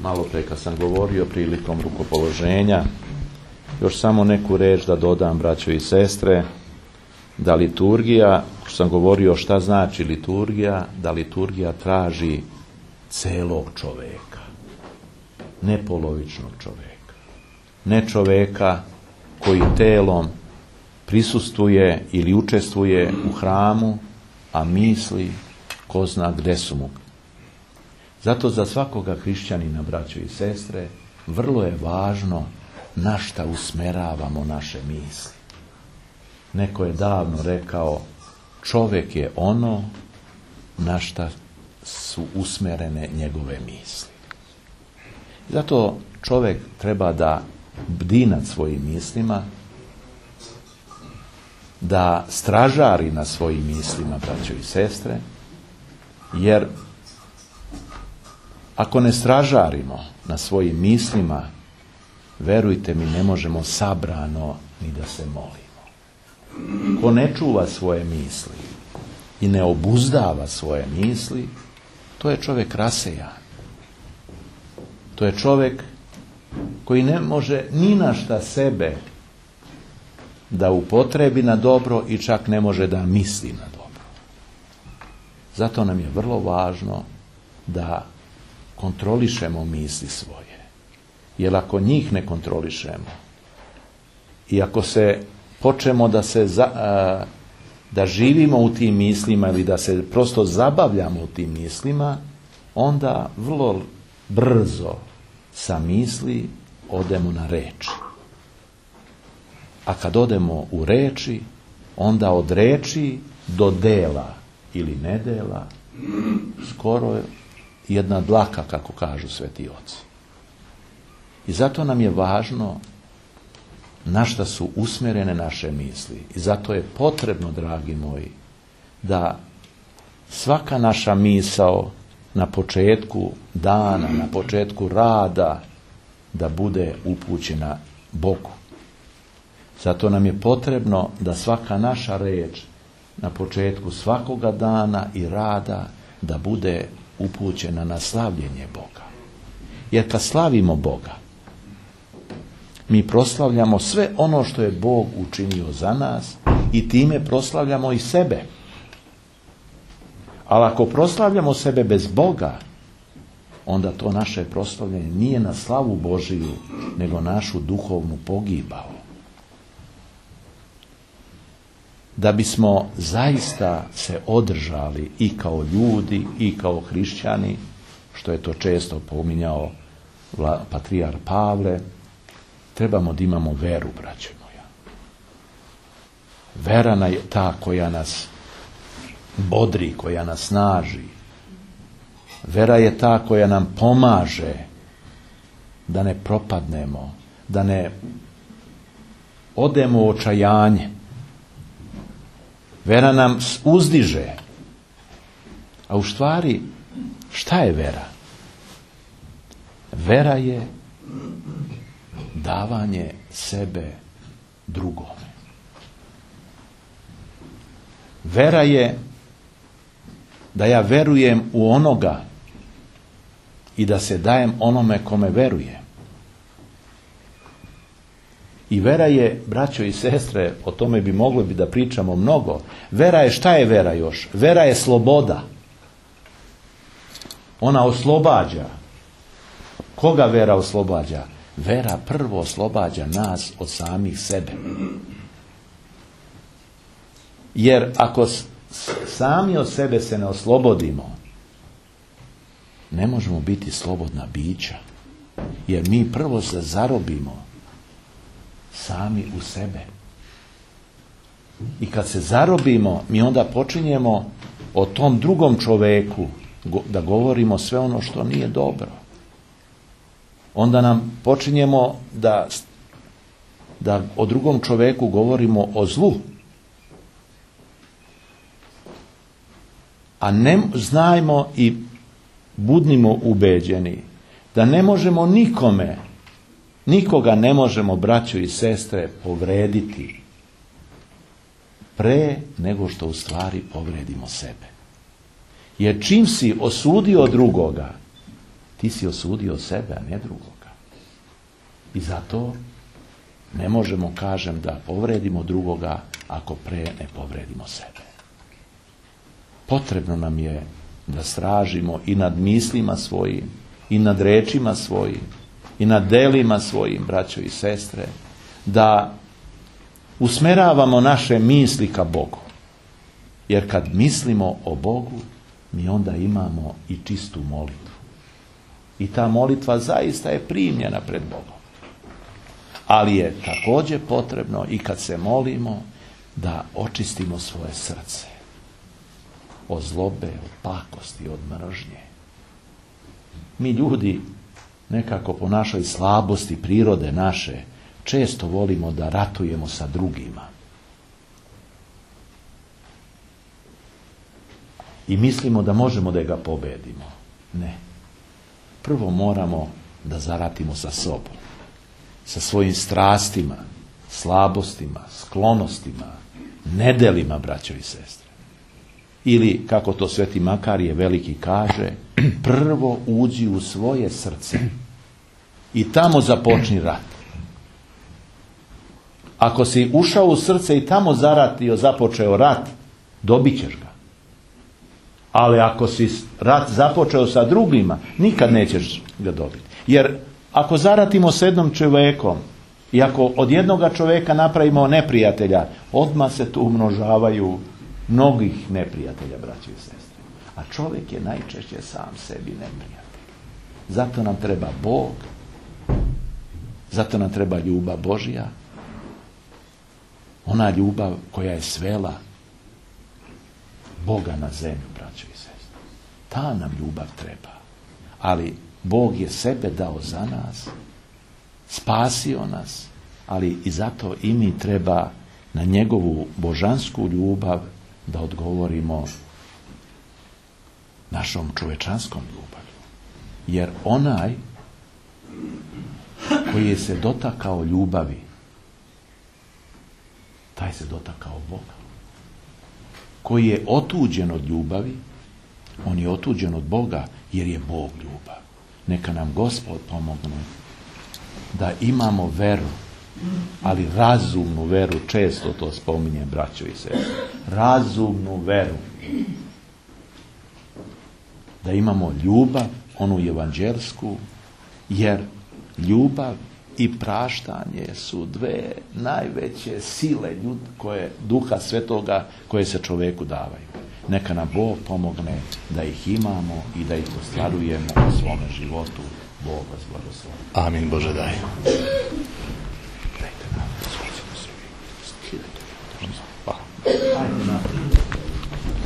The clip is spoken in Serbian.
malo pre kad sam govorio prilikom rukopoloženja, još samo neku reč da dodam, braćo i sestre, da liturgija, što sam govorio šta znači liturgija, da liturgija traži celog čoveka, ne polovičnog čoveka, ne čoveka koji telom prisustvuje ili učestvuje u hramu, a misli ko zna gde su mu. Zato za svakoga hrišćanina, braćo i sestre, vrlo je važno na šta usmeravamo naše misli. Neko je davno rekao, čovjek je ono na šta su usmerene njegove misli. Zato čovjek treba da bdi nad svojim mislima, da stražari na svojim mislima, braćo i sestre, jer ako ne stražarimo na svojim mislima, verujte mi, ne možemo sabrano ni da se molimo. Ko ne čuva svoje misli i ne obuzdava svoje misli, to je čovjek rasejan. To je čovjek koji ne može ni na šta sebe da upotrebi na dobro i čak ne može da misli na dobro. Zato nam je vrlo važno da kontrolišemo misli svoje. Jer ako njih ne kontrolišemo i ako se počnemo da živimo u tim mislima ili da se prosto zabavljamo u tim mislima, onda vrlo brzo sa misli odemo na reči. A kad odemo u reči, onda od reči do dela ili nedela skoro jedna dlaka, kako kažu sveti oci. I zato nam je važno na šta su usmjerene naše misli. I zato je potrebno, dragi moji, da svaka naša misao na početku dana, na početku rada, da bude upućena Bogu. Zato nam je potrebno da svaka naša reč na početku svakoga dana i rada da bude upućena na slavljenje Boga. Jer kad slavimo Boga, mi proslavljamo sve ono što je Bog učinio za nas i time proslavljamo i sebe. Ali ako proslavljamo sebe bez Boga, onda to naše proslavljanje nije na slavu Božiju, nego našu duhovnu pogibao. Da bismo zaista se održali i kao ljudi i kao hrišćani, što je to često pominjao patrijar Pavle, trebamo da imamo veru, braćo moja. Vera je ta koja nas bodri, koja nas snaži. Vera je ta koja nam pomaže da ne propadnemo, da ne odemo u očajanje. Vera nam uzdiže. A u stvari, šta je vera? Vera je davanje sebe drugome. Vera je da ja verujem u onoga i da se dajem onome kome verujem. I vera je, braćo i sestre, o tome bi mogli da pričamo mnogo. Vera je, šta je vera još? Vera je sloboda. Ona oslobađa. Koga vera oslobađa? Vera prvo oslobađa nas od samih sebe. Jer ako sami od sebe se ne oslobodimo, ne možemo biti slobodna bića. Jer mi prvo se zarobimo sami u sebe. I kad se zarobimo, mi onda počinjemo o tom drugom čoveku da govorimo sve ono što nije dobro. Onda nam počinjemo da o drugom čoveku govorimo o zlu. A ne znajmo i budnimo ubeđeni da ne možemo nikoga ne možemo, braćo i sestre, povrediti pre nego što u stvari povredimo sebe. Jer čim si osudio drugoga, ti si osudio sebe, a ne drugoga. I zato ne možemo, kažem, da povredimo drugoga ako pre ne povredimo sebe. Potrebno nam je da stražimo i nad mislima svojim, i nad rečima svojim, i nad delima svojim, braćo i sestre, da usmeravamo naše misli ka Bogu. Jer kad mislimo o Bogu, mi onda imamo i čistu molitvu. I ta molitva zaista je primljena pred Bogom. Ali je također potrebno i kad se molimo da očistimo svoje srce od zlobe, od pakosti, od mržnje. Mi ljudi nekako po našoj slabosti prirode naše često volimo da ratujemo sa drugima. I mislimo da možemo da ga pobedimo. Ne. Prvo moramo da zaratimo sa sobom, sa svojim strastima, slabostima, sklonostima, nedelima, braćo i sestre. Ili, kako to Sveti Makarije Veliki kaže, prvo uđi u svoje srce i tamo započni rat. Ako si ušao u srce i tamo zaratio, započeo rat, dobit ćeš ga. Ali ako si rat započeo sa drugima, nikad nećeš ga dobiti. Jer ako zaratimo s jednom čovjekom i ako od jednoga čovjeka napravimo neprijatelja, odmah se tu umnožavaju mnogih neprijatelja, braći i sestre. A čovjek je najčešće sam sebi neprijatelj. Zato nam treba Bog, zato nam treba ljubav Božja, ona ljubav koja je svela Boga na zemlju, braćo i sestre. Ta nam ljubav treba. Ali Bog je sebe dao za nas, spasio nas, ali i zato i mi treba na njegovu božansku ljubav da odgovorimo našom čovečanskom ljubavlju. Jer onaj koji je se dotakao ljubavi, taj se dotakao Boga. Koji je otuđen od ljubavi, on je otuđen od Boga, jer je Bog ljubav. Neka nam Gospod pomogne da imamo veru, ali razumnu veru, često to spominje, braćo i sestre. Razumnu veru. Da imamo ljubav, onu evanđelsku, jer ljubav i praštanje su dve najveće sile koje Duha Svetoga koje se čovjeku davaju. Neka nam Bog pomogne da ih imamo i da ih ostvarujemo u svome životu. Bog vas blagoslovi. Amin, Bože daj. Hvala.